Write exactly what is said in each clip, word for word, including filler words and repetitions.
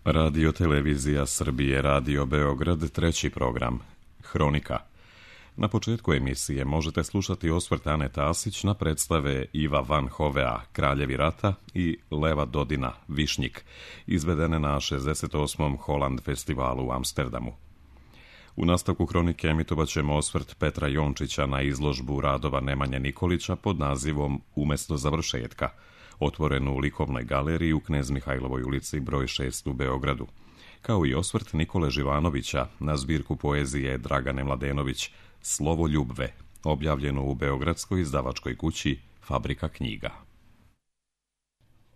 Radio Televizija Srbije, Radio Beograd, treći program, Hronika. Na početku emisije možete slušati osvrt Ane Tasić na predstave Iva Van Hovea, Kraljevi rata i Leva Dodina, Višnjik, izvedene na šezdeset osmom Holland festivalu u Amsterdamu. U nastavku Hronike emitovat ćemo osvrt Petra Jončića na izložbu radova Nemanje Nikolića pod nazivom Umesto završetka, otvorenu u likovnoj galeriji u Knez Mihajlovoj ulici broj šest u Beogradu, kao i osvrt Nikole Živanovića na zbirku poezije Dragane Mladenović Slovo ljubve, objavljeno u beogradskoj izdavačkoj kući Fabrika knjiga.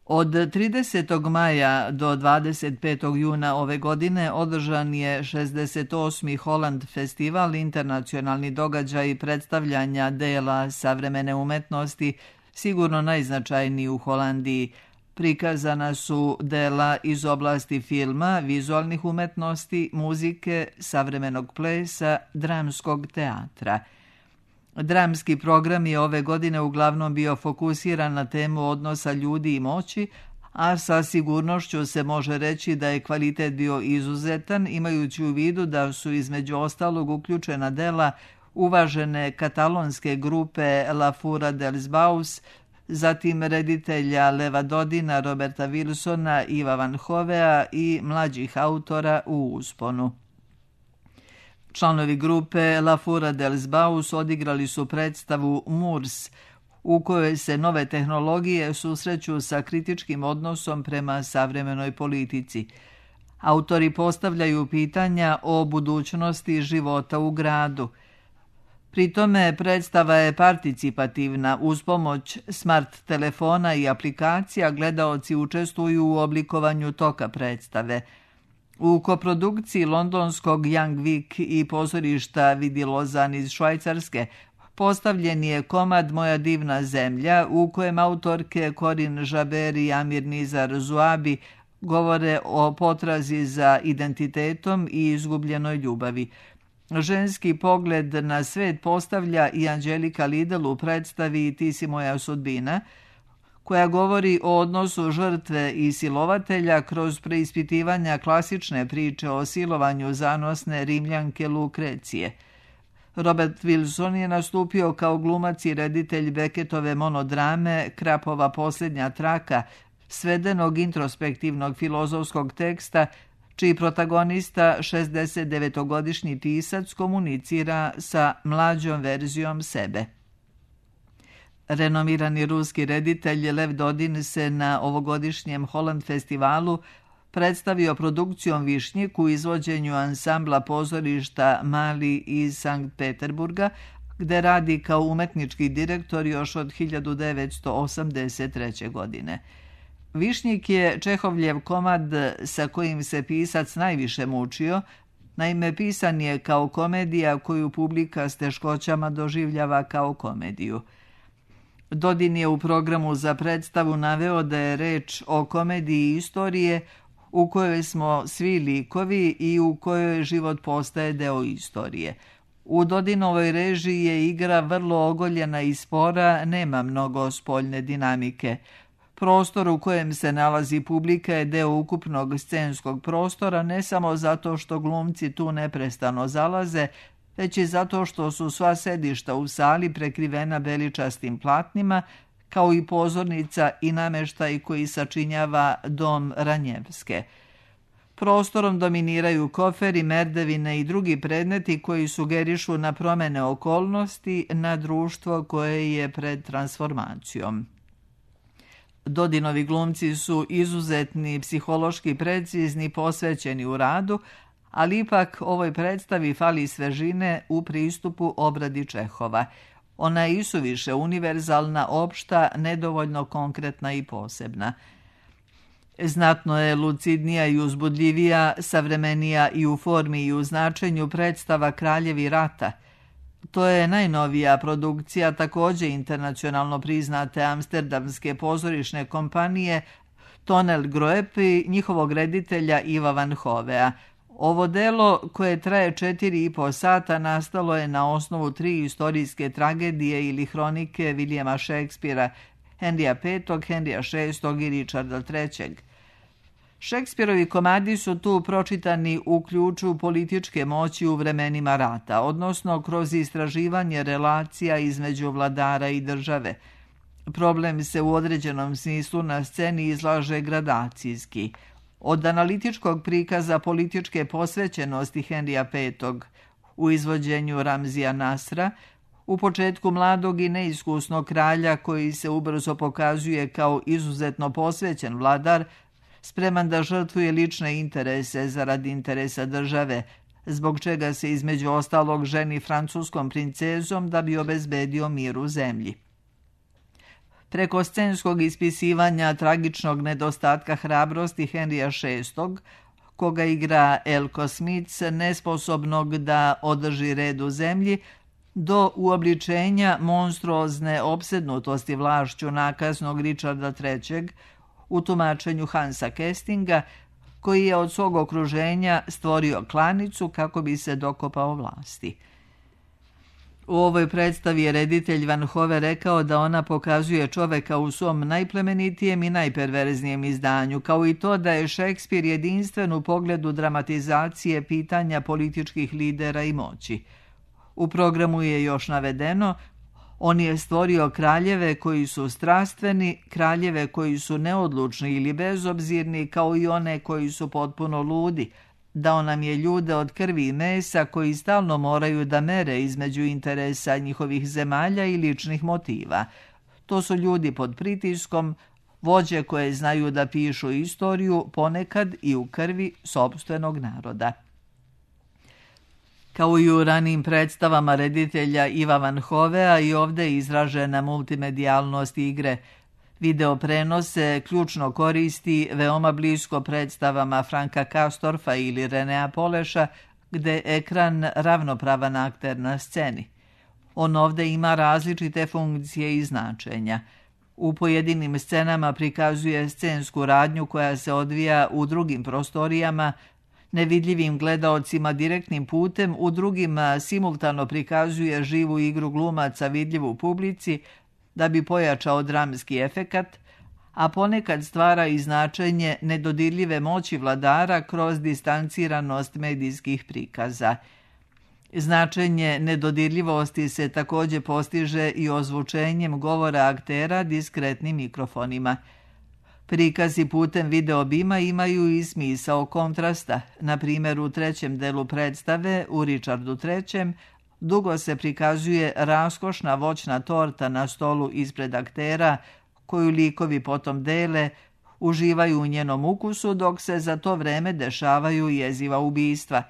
Od tridesetog maja do dvadeset petog juna ove godine održan je šezdeset osmi Holland festival, internacionalni događaj predstavljanja dela savremene umetnosti, sigurno najznačajniji u Holandiji. Prikazana su dela iz oblasti filma, vizualnih umetnosti, muzike, savremenog plesa, dramskog teatra. Dramski program je ove godine uglavnom bio fokusiran na temu odnosa ljudi i moći, a sa sigurnošću se može reći da je kvalitet bio izuzetan, imajući u vidu da su između ostalog uključena dela uvažene katalonske grupe La Fura dels Baus, zatim reditelja Leva Dodina, Roberta Wilsona, Iva Van Hovea i mlađih autora u usponu. Članovi grupe La Fura dels Baus odigrali su predstavu Moors, u kojoj se nove tehnologije susreću sa kritičkim odnosom prema savremenoj politici. Autori postavljaju pitanja o budućnosti života u gradu. Pri tome predstava je participativna. Uz pomoć smart telefona i aplikacija gledaoci učestvuju u oblikovanju toka predstave. U koprodukciji londonskog Young Vic i pozorišta Vidi Lozan iz Švajcarske postavljen je komad Moja divna zemlja, u kojem autorke Corinne Jaber i Amir Nizar Zuabi govore o potrazi za identitetom i izgubljenoj ljubavi. Ženski pogled na svet postavlja i Anđelika Lidl u predstavi Ti si moja sudbina, koja govori o odnosu žrtve i silovatelja kroz preispitivanja klasične priče o silovanju zanosne Rimljanke Lukrecije. Robert Wilson je nastupio kao glumac i reditelj Becketove monodrame Krapova posljednja traka, svedenog introspektivnog filozofskog teksta, čiji protagonista, šezdesetdevetogodišnji tisac, komunicira sa mlađom verzijom sebe. Renomirani ruski reditelj Lev Dodin se na ovogodišnjem Holland festivalu predstavio produkcijom Višnjik u izvođenju ansambla pozorišta Mali iz Sankt Peterburga, gde radi kao umetnički direktor još od hiljadu devetsto osamdeset treće. godine. Višnjik je Čehovljev komad sa kojim se pisac najviše mučio, naime pisan je kao komedija koju publika s teškoćama doživljava kao komediju. Dodin je u programu za predstavu naveo da je reč o komediji istorije u kojoj smo svi likovi i u kojoj život postaje deo istorije. U Dodinovoj režiji je igra vrlo ogoljena i spora, nema mnogo spoljne dinamike. Prostor u kojem se nalazi publika je deo ukupnog scenskog prostora, ne samo zato što glumci tu neprestano zalaze, već i zato što su sva sedišta u sali prekrivena beličastim platnima, kao i pozornica i nameštaj koji sačinjava dom Ranjevske. Prostorom dominiraju koferi, merdevine i drugi predmeti koji sugerišu na promene okolnosti, na društvo koje je pred transformacijom. Dodinovi glumci su izuzetni, psihološki precizni, posvećeni u radu, ali ipak ovoj predstavi fali svežine u pristupu obradi Čehova. Ona je isuviše univerzalna, opšta, nedovoljno konkretna i posebna. Znatno je lucidnija i uzbudljivija, savremenija i u formi i u značenju predstava Kraljevi rata. To je najnovija produkcija također internacionalno priznate amsterdamske pozorišne kompanije Tonel Groep i njihovog reditelja Iva Van Hovea. Ovo delo, koje traje četiri i po sata, nastalo je na osnovu tri istorijske tragedije ili hronike Williama Shakespearea, Henrya petog, Henrya šestog i Richarda trećeg. Šekspirovi komadi su tu pročitani u ključu političke moći u vremenima rata, odnosno kroz istraživanje relacija između vladara i države. Problem se u određenom smislu na sceni izlaže gradacijski. Od analitičkog prikaza političke posvećenosti Henrija petog u izvođenju Ramzija Nasra, u početku mladog i neiskusnog kralja koji se ubrzo pokazuje kao izuzetno posvećen vladar, spreman da žrtvuje lične interese zarad interesa države, zbog čega se između ostalog ženi francuskom princezom da bi obezbedio mir u zemlji. Preko scenskog ispisivanja tragičnog nedostatka hrabrosti Henrija šestog, koga igra Elko Smith, nesposobnog da održi red u zemlji, do uobličenja monstruozne opsednutosti vlašću nakaznog Richarda trećeg u tumačenju Hansa Kestinga, koji je od svog okruženja stvorio klanicu kako bi se dokopao vlasti. U ovoj predstavi je reditelj Van Hove rekao da ona pokazuje čoveka u svom najplemenitijem i najperverznijem izdanju, kao i to da je Šekspir jedinstven u pogledu dramatizacije pitanja političkih lidera i moći. U programu je još navedeno: on je stvorio kraljeve koji su strastveni, kraljeve koji su neodlučni ili bezobzirni, kao i one koji su potpuno ludi. Dao nam je ljude od krvi i mesa koji stalno moraju da mere između interesa njihovih zemalja i ličnih motiva. To su ljudi pod pritiskom, vođe koje znaju da pišu istoriju, ponekad i u krvi sopstvenog naroda. Kao i u ranijim predstavama reditelja Iva Van Hovea, i ovdje je izražena multimedijalnost igre. Video prenose ključno koristi veoma blisko predstavama Franka Kastorfa ili Renea Poleša, gde je ekran ravnopravan akter na sceni. On ovdje ima različite funkcije i značenja. U pojedinim scenama prikazuje scensku radnju koja se odvija u drugim prostorijama, nevidljivim gledaocima direktnim putem, u drugima simultano prikazuje živu igru glumaca vidljivu publici da bi pojačao dramski efekat, a ponekad stvara i značenje nedodirljive moći vladara kroz distanciranost medijskih prikaza. Značenje nedodirljivosti se također postiže i ozvučenjem govora aktera diskretnim mikrofonima. Prikazi putem videobima imaju i smisao kontrasta. Na primjer, u trećem delu predstave, u Richardu trećem, dugo se prikazuje raskošna voćna torta na stolu ispred aktera, koju likovi potom dele, uživaju u njenom ukusu, dok se za to vreme dešavaju jeziva ubistva.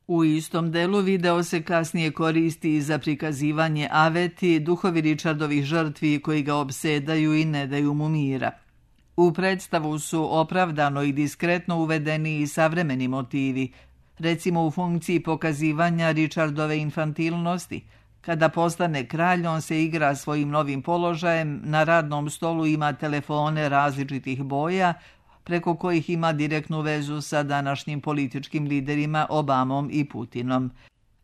U istom delu video se kasnije koristi za prikazivanje aveti, duhovi Richardovih žrtvi koji ga opsedaju i ne daju mu mira. U predstavu su opravdano i diskretno uvedeni i savremeni motivi, recimo u funkciji pokazivanja Richardove infantilnosti. Kada postane kralj, on se igra svojim novim položajem, na radnom stolu ima telefone različitih boja, preko kojih ima direktnu vezu sa današnjim političkim liderima Obamom i Putinom.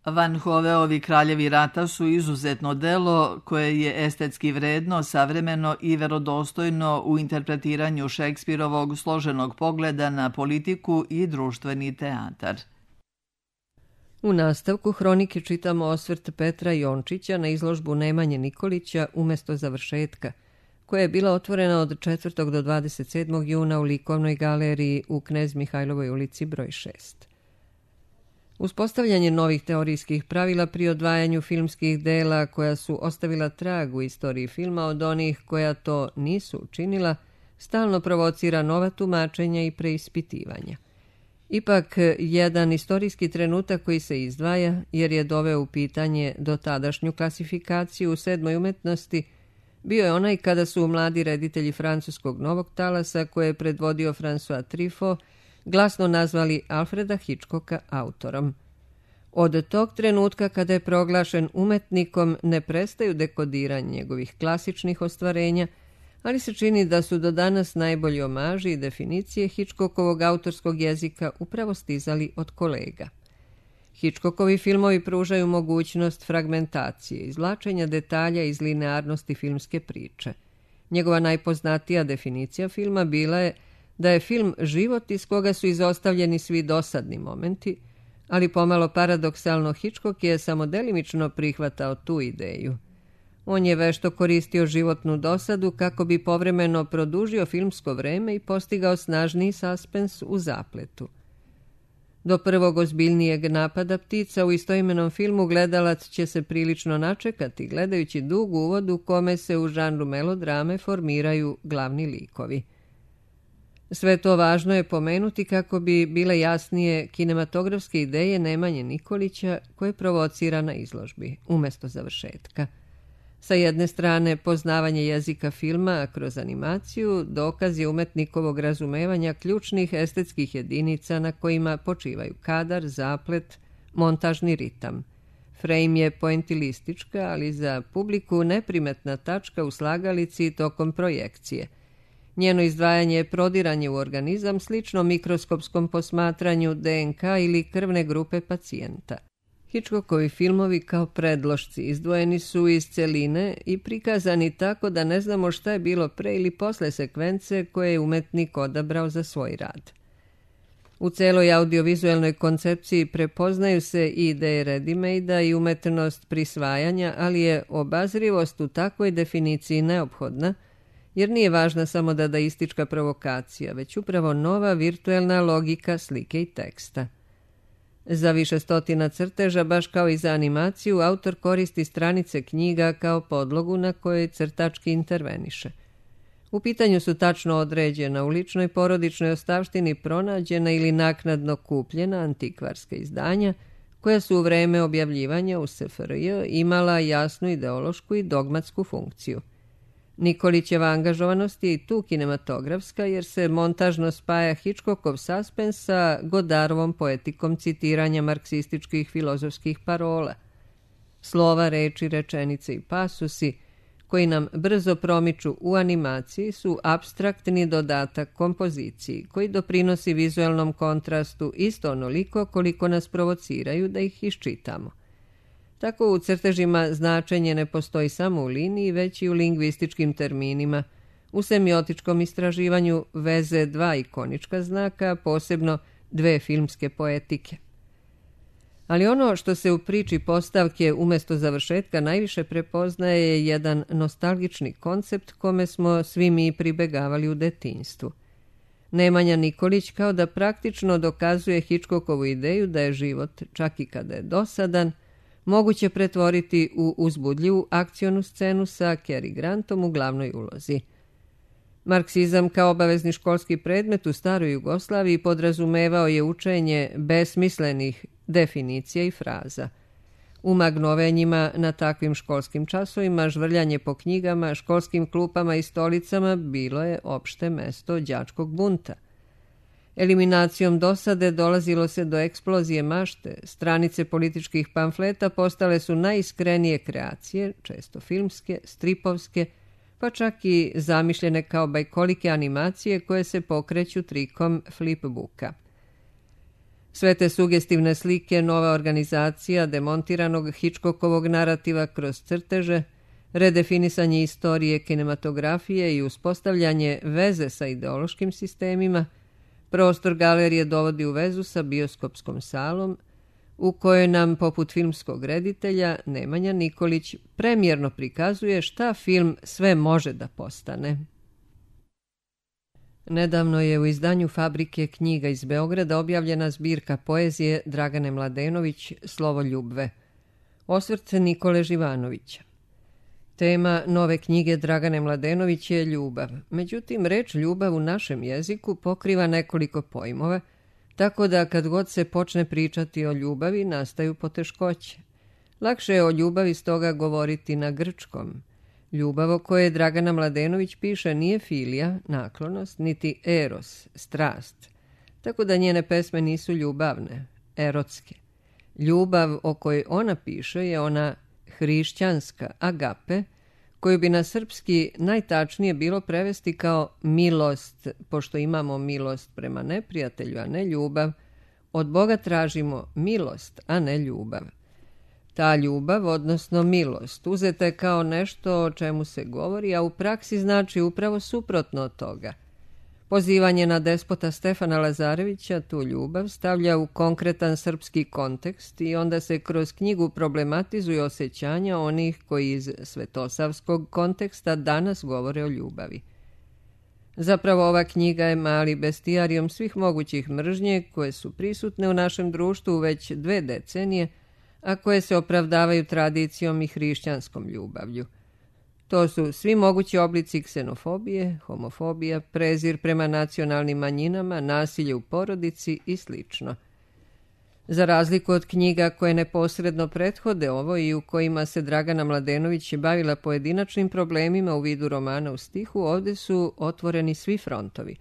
Van Hoveovi Kraljevi rata su izuzetno delo koje je estetski vredno, savremeno i verodostojno u interpretiranju Šekspirovog složenog pogleda na politiku i društveni teatar. U nastavku hronike čitamo osvrt Petra Jončića na izložbu Nemanje Nikolića Umesto završetka, koja je bila otvorena od četvrtog do dvadeset sedmog juna u Likovnoj galeriji u Knez Mihajlovoj ulici broj šest. Uspostavljanje novih teorijskih pravila pri odvajanju filmskih dela koja su ostavila trag u istoriji filma od onih koja to nisu učinila, stalno provocira nova tumačenja i preispitivanja. Ipak, jedan istorijski trenutak koji se izdvaja, jer je doveo u pitanje dotadašnju klasifikaciju u sedmoj umetnosti, bio je onaj kada su mladi reditelji francuskog novog talasa, koje je predvodio François Truffaut, glasno nazvali Alfreda Hitchcocka autorom. Od tog trenutka kada je proglašen umetnikom ne prestaju dekodiranje njegovih klasičnih ostvarenja, ali se čini da su do danas najbolji omaži i definicije Hitchcockovog autorskog jezika upravo stizali od kolega. Hitchcockovi filmovi pružaju mogućnost fragmentacije, izvlačenja detalja iz linearnosti filmske priče. Njegova najpoznatija definicija filma bila je da je film život iz koga su izostavljeni svi dosadni momenti, ali pomalo paradoksalno Hitchcock je samo delimično prihvatao tu ideju. On je vešto koristio životnu dosadu kako bi povremeno produžio filmsko vreme i postigao snažniji saspens u zapletu. Do prvog ozbiljnijeg napada ptica u istoimenom filmu gledalac će se prilično načekati, gledajući dug uvod u kome se u žanru melodrame formiraju glavni likovi. Sve to važno je pomenuti kako bi bile jasnije kinematografske ideje Nemanje Nikolića koje provocira na izložbi, umjesto završetka. Sa jedne strane, poznavanje jezika filma kroz animaciju dokaz je umetnikovog razumevanja ključnih estetskih jedinica na kojima počivaju kadar, zaplet, montažni ritam. Frame je poentilistička, ali za publiku neprimetna tačka u slagalici tokom projekcije. Njeno izdvajanje je prodiranje u organizam slično mikroskopskom posmatranju D N K ili krvne grupe pacijenta. Hitchcockovi filmovi kao predlošci izdvojeni su iz celine i prikazani tako da ne znamo šta je bilo pre ili posle sekvence koje je umetnik odabrao za svoj rad. U celoj audiovizualnoj koncepciji prepoznaju se i ideje ready-made-a i umetnost prisvajanja, ali je obazrivost u takvoj definiciji neophodna, jer nije važna samo dadaistička provokacija, već upravo nova virtuelna logika slike i teksta. Za više stotina crteža, baš kao i za animaciju, autor koristi stranice knjiga kao podlogu na kojoj crtački interveniše. U pitanju su tačno određena u ličnoj porodičnoj ostavštini pronađena ili naknadno kupljena antikvarska izdanja, koja su u vreme objavljivanja u S F R J imala jasnu ideološku i dogmatsku funkciju. Nikolićeva angažovanost je i tu kinematografska, jer se montažno spaja Hitchcockov saspens sa Godarovom poetikom citiranja marksističkih filozofskih parola. Slova, reči, rečenice i pasusi, koji nam brzo promiču u animaciji, su apstraktni dodatak kompoziciji, koji doprinosi vizualnom kontrastu isto onoliko koliko nas provociraju da ih iščitamo. Tako u crtežima značenje ne postoji samo u liniji, već i u lingvističkim terminima, u semiotičkom istraživanju veze dva ikonička znaka, posebno dve filmske poetike. Ali ono što se u priči postavke umjesto završetka najviše prepoznaje je jedan nostalgični koncept kome smo svi mi pribegavali u detinjstvu. Nemanja Nikolić kao da praktično dokazuje Hitchcockovu ideju da je život, čak i kada je dosadan, moguće pretvoriti u uzbudljivu akcionu scenu sa Cary Grantom u glavnoj ulozi. Marksizam kao obavezni školski predmet u staroj Jugoslaviji podrazumevao je učenje besmislenih definicija i fraza. U magnovenjima na takvim školskim časovima žvrljanje po knjigama, školskim klupama i stolicama bilo je opšte mesto đačkog bunta. Eliminacijom dosade dolazilo se do eksplozije mašte, stranice političkih pamfleta postale su najiskrenije kreacije, često filmske, stripovske, pa čak i zamišljene kao bajkolike animacije koje se pokreću trikom flipbooka. Sve te sugestivne slike, nova organizacija demontiranog Hitchcockovog narativa kroz crteže, redefinisanje istorije kinematografije i uspostavljanje veze sa ideološkim sistemima, prostor galerije dovodi u vezu sa bioskopskom salom, u kojoj nam, poput filmskog reditelja, Nemanja Nikolić premjerno prikazuje šta film sve može da postane. Nedavno je u izdanju Fabrike knjiga iz Beograda objavljena zbirka poezije Dragane Mladenović Slovo ljubve. Osvrt Nikole Živanovića. Tema nove knjige Dragane Mladenović je ljubav. Međutim, reč ljubav u našem jeziku pokriva nekoliko pojmova, tako da kad god se počne pričati o ljubavi nastaju poteškoće. Lakše je o ljubavi stoga govoriti na grčkom. Ljubav o kojoj Dragana Mladenović piše nije filija, naklonost, niti eros, strast, tako da njene pesme nisu ljubavne, erotske. Ljubav o kojoj ona piše je ona hrišćanska, agape, koju bi na srpski najtačnije bilo prevesti kao milost, pošto imamo milost prema neprijatelju, a ne ljubav. Od Boga tražimo milost, a ne ljubav. Ta ljubav, odnosno milost, uzeta je kao nešto o čemu se govori, a u praksi znači upravo suprotno od toga. Pozivanje na despota Stefana Lazarevića tu ljubav stavlja u konkretan srpski kontekst i onda se kroz knjigu problematizuju osjećanja onih koji iz svetosavskog konteksta danas govore o ljubavi. Zapravo ova knjiga je mali bestijarijom svih mogućih mržnje koje su prisutne u našem društvu već dve decenije, a koje se opravdavaju tradicijom i hrišćanskom ljubavlju. To su svi mogući oblici ksenofobije, homofobija, prezir prema nacionalnim manjinama, nasilje u porodici i sl. Za razliku od knjiga koje neposredno prethode ovo i u kojima se Dragana Mladenović bavila pojedinačnim problemima u vidu romana u stihu, ovdje su otvoreni svi frontovi.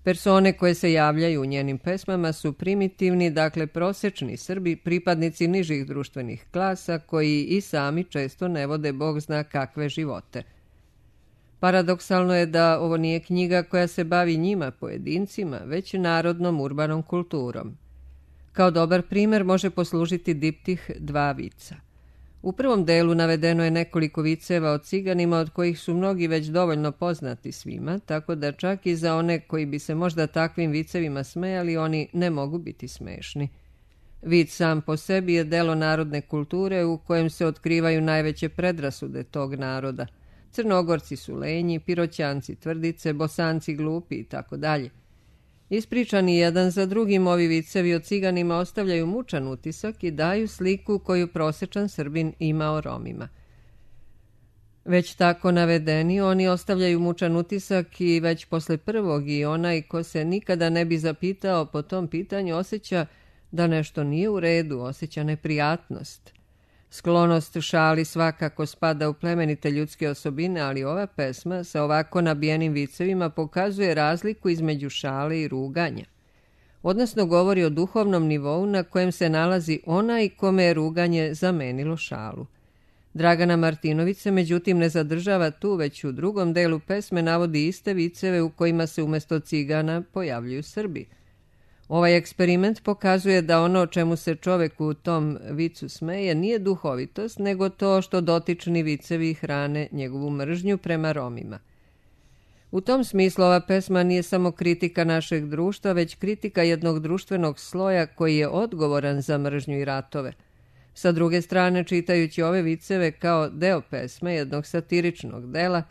Persone koje se javljaju u njenim pesmama su primitivni, dakle prosečni Srbi, pripadnici nižih društvenih klasa koji i sami često ne vode bog zna kakve živote. Paradoksalno je da ovo nije knjiga koja se bavi njima, pojedincima, već narodnom urbanom kulturom. Kao dobar primjer može poslužiti diptih Dva vica. U prvom delu navedeno je nekoliko viceva o ciganima od kojih su mnogi već dovoljno poznati svima, tako da čak i za one koji bi se možda takvim vicevima smejali, oni ne mogu biti smešni. Vic sam po sebi je delo narodne kulture u kojem se otkrivaju najveće predrasude tog naroda. Crnogorci su lenji, Piroćanci tvrdice, Bosanci glupi i tako dalje. Ispričani jedan za drugim, ovi vicevi o ciganima ostavljaju mučan utisak i daju sliku koju prosječan Srbin ima o Romima. Već tako navedeni, oni ostavljaju mučan utisak i već posle prvog i onaj ko se nikada ne bi zapitao po tom pitanju osjeća da nešto nije u redu, osjeća neprijatnost. Sklonost šali svakako spada u plemenite ljudske osobine, ali ova pesma sa ovako nabijenim vicevima pokazuje razliku između šale i ruganja. Odnosno govori o duhovnom nivou na kojem se nalazi onaj kome je ruganje zamenilo šalu. Dragana Martinović se međutim ne zadržava tu, već u drugom delu pesme navodi iste viceve u kojima se umjesto cigana pojavljuju Srbi. Ovaj eksperiment pokazuje da ono o čemu se čovek u tom vicu smeje nije duhovitost, nego to što dotični vicevi hrane njegovu mržnju prema Romima. U tom smislu ova pesma nije samo kritika našeg društva, već kritika jednog društvenog sloja koji je odgovoran za mržnju i ratove. Sa druge strane, čitajući ove viceve kao deo pesme jednog satiričnog dela,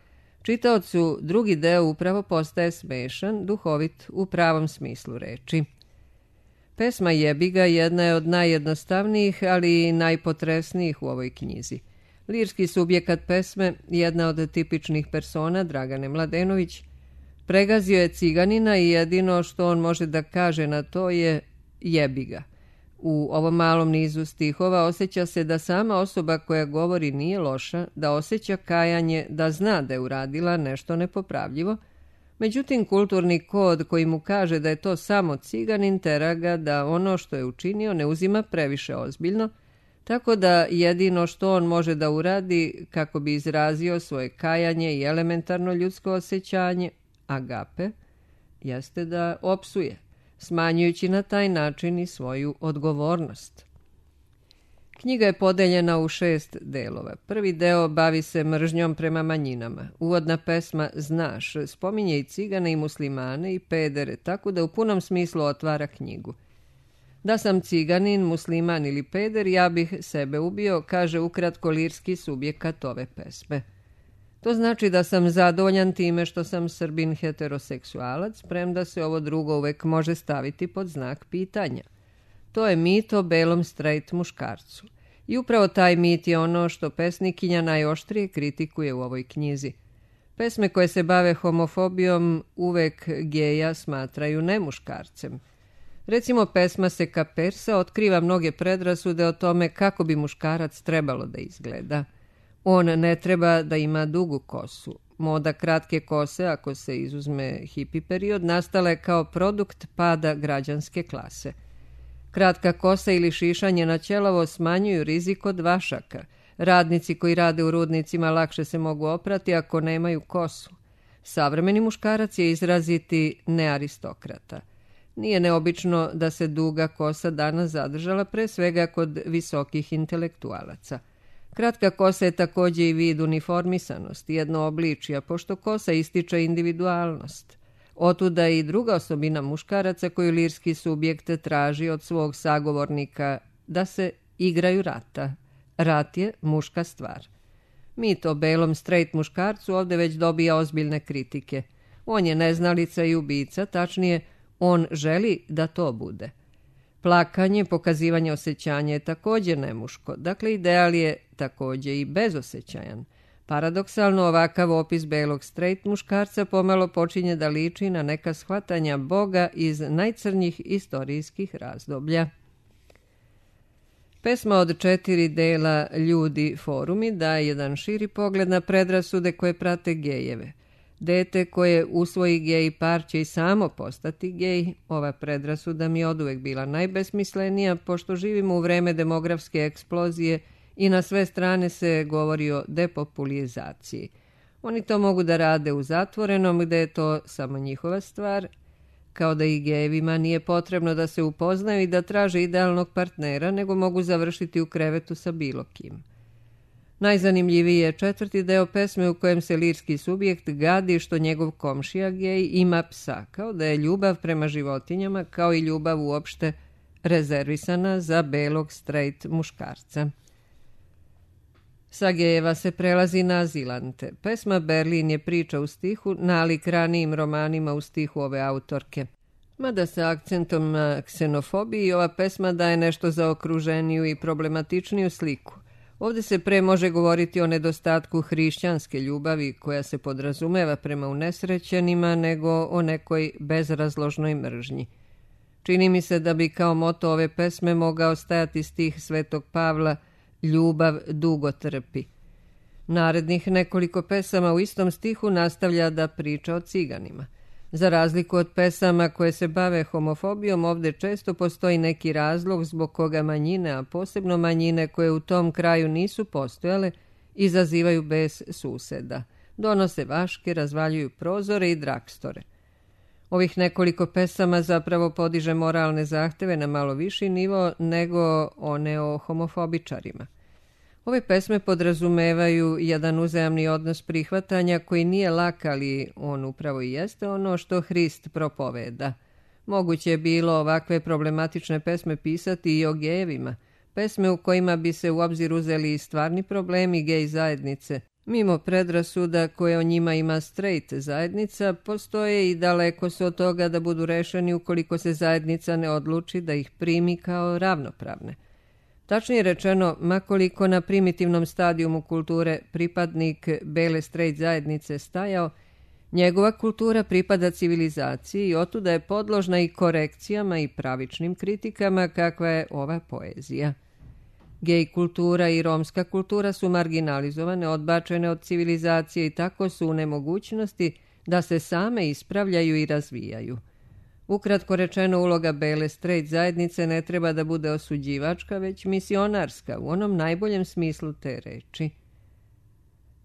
čitaocu drugi deo upravo postaje smešan, duhovit u pravom smislu reči. Pesma Jebiga jedna je od najjednostavnijih, ali i najpotresnijih u ovoj knjizi. Lirski subjekat pesme, jedna od tipičnih persona Dragane Mladenović, pregazio je ciganina i jedino što on može da kaže na to je jebiga. U ovom malom nizu stihova osjeća se da sama osoba koja govori nije loša, da osjeća kajanje, da zna da je uradila nešto nepopravljivo. Međutim, kulturni kod koji mu kaže da je to samo ciganin tera ga da ono što je učinio ne uzima previše ozbiljno, tako da jedino što on može da uradi kako bi izrazio svoje kajanje i elementarno ljudsko osjećanje, agape, jeste da opsuje, smanjujući na taj način i svoju odgovornost. Knjiga je podeljena u šest delova. Prvi deo bavi se mržnjom prema manjinama. Uvodna pesma Znaš spominje i cigane i muslimane i pedere, tako da u punom smislu otvara knjigu. Da sam ciganin, musliman ili peder, ja bih sebe ubio, kaže ukratko lirski subjekat ove pesme. To znači da sam zadovoljan time što sam Srbin heteroseksualac, premda se ovo drugo uvek može staviti pod znak pitanja. To je mit o belom straight muškarcu. I upravo taj mit je ono što pesnikinja najoštrije kritikuje u ovoj knjizi. Pesme koje se bave homofobijom uvek geja smatraju nemuškarcem. Recimo, pesma Seka Persa otkriva mnoge predrasude o tome kako bi muškarac trebalo da izgleda. On ne treba da ima dugu kosu. Moda kratke kose, ako se izuzme hipi period, nastala je kao produkt pada građanske klase. Kratka kosa ili šišanje na ćelavo smanjuju rizik od vašaka. Radnici koji rade u rudnicima lakše se mogu oprati ako nemaju kosu. Savremeni muškarac je izraziti nearistokrata. Nije neobično da se duga kosa danas zadržala pre svega kod visokih intelektualaca. Kratka kosa je također i vid uniformisanosti, jedno obličija, pošto kosa ističe individualnost. Otuda i druga osobina muškaraca koju lirski subjekt traži od svog sagovornika, da se igraju rata. Rat je muška stvar. Mit o belom straight muškarcu ovdje već dobija ozbiljne kritike. On je neznalica i ubica, tačnije, on želi da to bude. Plakanje, pokazivanje osjećanja je također nemuško, dakle ideal je također i bezosjećajan. Paradoksalno, ovakav opis belog straight muškarca pomalo počinje da liči na neka shvatanja Boga iz najcrnjih istorijskih razdoblja. Pesma od četiri dela Ljudi forumi daje jedan širi pogled na predrasude koje prate gejeve. Dete koje usvoji gej par će i samo postati gej. Ova predrasuda mi je oduvek bila najbesmislenija, pošto živimo u vreme demografske eksplozije i na sve strane se govori o depopulizaciji. Oni to mogu da rade u zatvorenom, gde je to samo njihova stvar, kao da i gejevima nije potrebno da se upoznaju i da traže idealnog partnera, nego mogu završiti u krevetu sa bilo kim. Najzanimljiviji je četvrti deo pesme u kojem se lirski subjekt gadi što njegov komšija gej ima psa, kao da je ljubav prema životinjama, kao i ljubav uopšte, rezervisana za belog straight muškarca. Sa gejeva se prelazi na azilante. Pesma Berlin je priča u stihu, nalik ranijim romanima u stihu ove autorke. Mada sa akcentom na ksenofobiji, ova pesma daje nešto zaokruženiju i problematičniju sliku. Ovdje se pre može govoriti o nedostatku hrišćanske ljubavi koja se podrazumeva prema unesrećenima, nego o nekoj bezrazložnoj mržnji. Čini mi se da bi kao moto ove pesme mogao stajati stih Svetog Pavla "Ljubav dugo trpi". Narednih nekoliko pesama u istom stihu nastavlja da priča o ciganima. Za razliku od pesama koje se bave homofobijom, ovdje često postoji neki razlog zbog koga manjine, a posebno manjine koje u tom kraju nisu postojale, izazivaju bes suseda. Donose vaške, razvaljuju prozore i drakstore. Ovih nekoliko pesama zapravo podiže moralne zahteve na malo viši nivo nego one o homofobičarima. Ove pesme podrazumevaju jedan uzajamni odnos prihvatanja koji nije lak, ali on upravo i jeste ono što Hrist propoveda. Moguće je bilo ovakve problematične pesme pisati i o gejevima, pesme u kojima bi se u obzir uzeli i stvarni problemi gej zajednice. Mimo predrasuda koje o njima ima straight zajednica, postoje i daleko su od toga da budu rešeni ukoliko se zajednica ne odluči da ih primi kao ravnopravne. Tačnije rečeno, makoliko na primitivnom stadijumu kulture pripadnik bele straight zajednice stajao, njegova kultura pripada civilizaciji i otuda je podložna i korekcijama i pravičnim kritikama kakva je ova poezija. Gej kultura i romska kultura su marginalizovane, odbačene od civilizacije i tako su u nemogućnosti da se same ispravljaju i razvijaju. Ukratko rečeno, uloga bele straight zajednice ne treba da bude osuđivačka, već misionarska, u onom najboljem smislu te reči.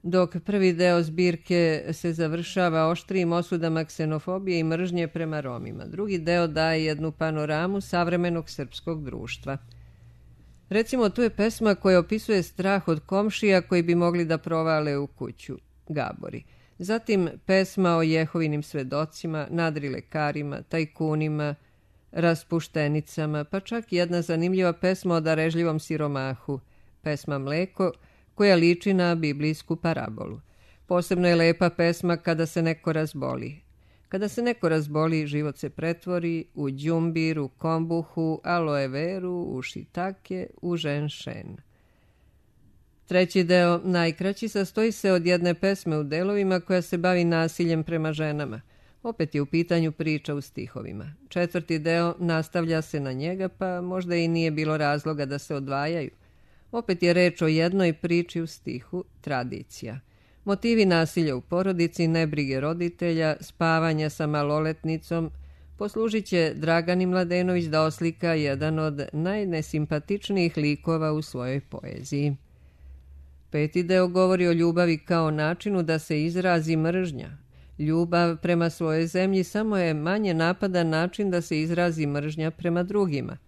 Dok prvi deo zbirke se završava oštrijim osudama ksenofobije i mržnje prema Romima, drugi deo daje jednu panoramu savremenog srpskog društva. Recimo, tu je pesma koja opisuje strah od komšija koji bi mogli da provale u kuću, Gabori. Zatim pesma o Jehovinim svedocima, nadrilekarima, tajkunima, raspuštenicama, pa čak jedna zanimljiva pesma o darežljivom siromahu, pesma Mleko, koja liči na biblijsku parabolu. Posebno je lepa pesma Kada se neko razboli. Kada se neko razboli, život se pretvori u đumbir, u kombuhu, aloe veru, u šitake, u ženšen. Treći deo, najkraći, sastoji se od jedne pesme u delovima koja se bavi nasiljem prema ženama. Opet je u pitanju priča u stihovima. Četvrti deo nastavlja se na njega, pa možda i nije bilo razloga da se odvajaju. Opet je reč o jednoj priči u stihu, tradicija. Motivi nasilja u porodici, nebrige roditelja, spavanja sa maloletnicom, poslužit će Dragani Mladenović da oslika jedan od najnesimpatičnijih likova u svojoj poeziji. Peti deo govori o ljubavi kao načinu da se izrazi mržnja. Ljubav prema svojoj zemlji samo je manje napadan način da se izrazi mržnja prema drugima.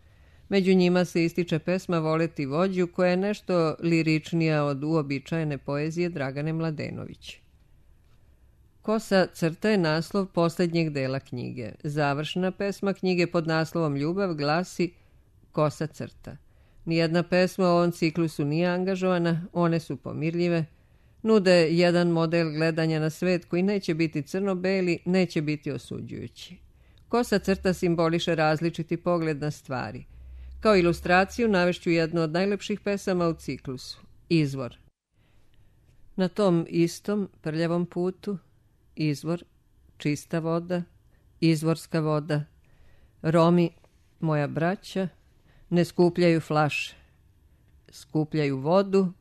Među njima se ističe pesma Voleti vođu, koja je nešto liričnija od uobičajene poezije Dragane Mladenović. Kosa crta je naslov posljednjeg dela knjige. Završna pesma knjige pod naslovom Ljubav glasi Kosa crta. Nijedna pesma u ovom ciklusu nije angažovana, one su pomirljive, nude jedan model gledanja na svet koji neće biti crno-beli, neće biti osuđujući. Kosa crta simboliše različiti pogled na stvari. Kao ilustraciju navešću jednu od najlepših pesama u ciklusu, Izvor. Na tom istom prljavom putu, izvor, čista voda, izvorska voda, Romi, moja braća, ne skupljaju flaše, skupljaju vodu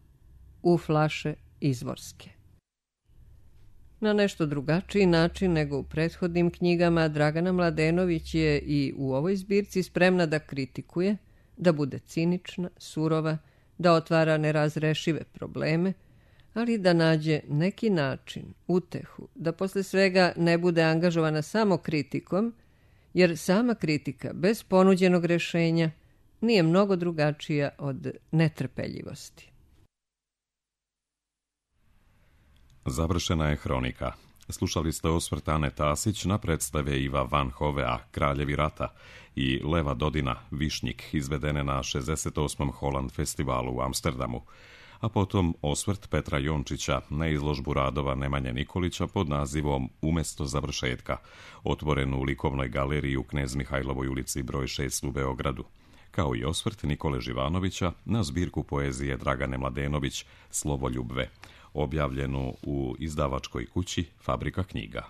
u flaše izvorske. Na nešto drugačiji način nego u prethodnim knjigama, Dragana Mladenović je i u ovoj zbirci spremna da kritikuje, da bude cinična, surova, da otvara nerazrešive probleme, ali da nađe neki način, utehu, da posle svega ne bude angažovana samo kritikom, jer sama kritika bez ponuđenog rešenja nije mnogo drugačija od netrpeljivosti. Završena je hronika. Slušali ste osvrt Ane Tasić na predstave Iva Van Hovea, Kraljevi rata, i Leva Dodina, Višnjik, izvedene na šezdeset osmom Holland festivalu u Amsterdamu, a potom osvrt Petra Jončića na izložbu radova Nemanje Nikolića pod nazivom Umesto završetka, otvorenu u likovnoj galeriji u Knez Mihajlovoj ulici broj šest u Beogradu, kao i osvrt Nikole Živanovića na zbirku poezije Dragane Mladenović Slovoljubve, objavljenu u izdavačkoj kući Fabrika knjiga.